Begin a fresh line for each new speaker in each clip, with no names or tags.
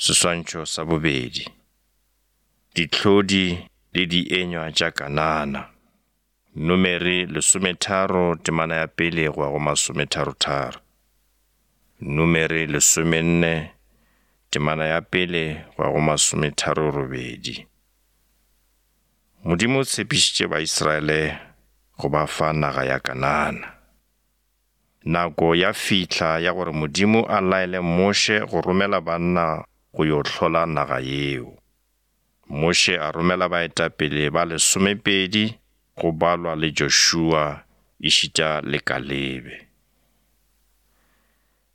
Seswantšho sa bobedi. Dihlodi le dienywa tša Kanana. Numeri lesometharo temana ya pele go ya go masometharotharo. Numeri lesomenne temana ya pele go ya go masometharorobedi. Modimo o tshepišitše Baisraele go ba fa naga ya Kanana. Nako ya fihla ya gore Modimo a laele Moshe go romela banna go yo hlola naga yeo. Moshe a romela baetapele ba lesomepedi go balwa le Joshua ešita le Kalebe.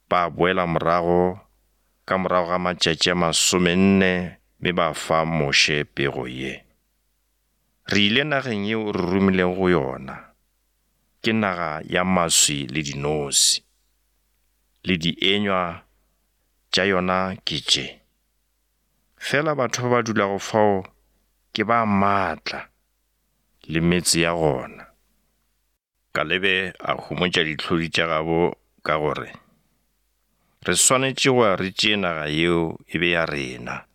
Ba boela morago ka morago ga matšatši a masomenne mme ba fa Moshe pego ye. Re ile nageng yeo o re romilego go yona, ke naga ya maswi le dinose, le dienywa tša yona ke tše. Fela batho ba ba dulago fao ke ba maatla le metse ya gona. Kalebe a homotša dihlodi tša gabo ka gore, Re swanetše go ya re tšee naga yeo e be ya rena,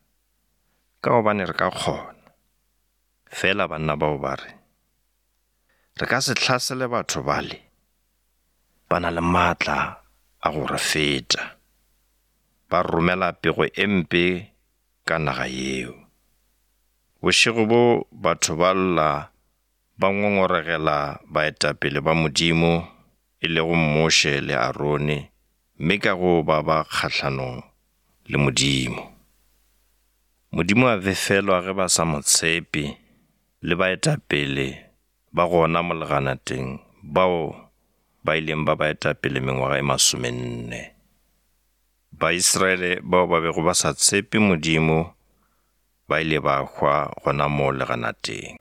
ka gobane re ka kgona. Fela banna bao ba re, Re ka se hlasele batho bale, ba na le maatla a go re feta. Ba romela pego e mpe ka naga yeo. Bošego bo batho ba lla ba ngongoregela baetapele ba Modimo, e lego Moshe le Arone, mme ka go ba ba kgahlanong le Modimo. Modimo a befelwa ge ba sa mo tshepe le baetapele ba gona mo leganateng bao ba ileng ba ba etapele mengwaga e masomenne. Baisraele bao ba bego ba sa tshepe Modimo ba ile ba hwa gona moo leganateng.